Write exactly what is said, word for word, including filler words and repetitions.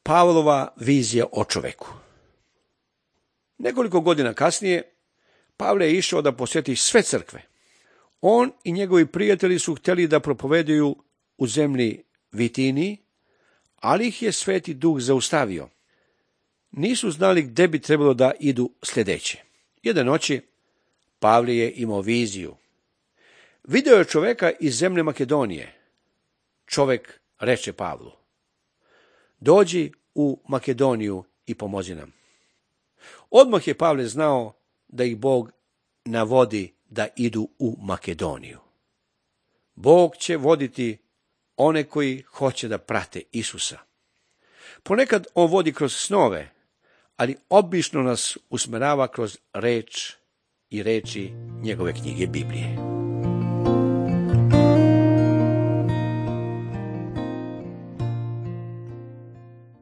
Pavlova vizija o čoveku. Nekoliko godina kasnije, Pavle je išao da posjeti sve crkve. On i njegovi prijatelji su htjeli da propovedaju u zemlji Vitiniji, ali ih je Sveti Duh zaustavio. Nisu znali gde bi trebalo da idu sljedeće. Jedne noći Pavle je imao viziju. Video je čoveka iz zemlje Makedonije. Čovek reče Pavlu: dođi u Makedoniju i pomozi nam. Odmah je Pavle znao da ih Bog navodi da idu u Makedoniju. Bog će voditi one koji hoće da prate Isusa. Ponekad on vodi kroz snove, ali obično nas usmerava kroz reč i reči njegove knjige Biblije.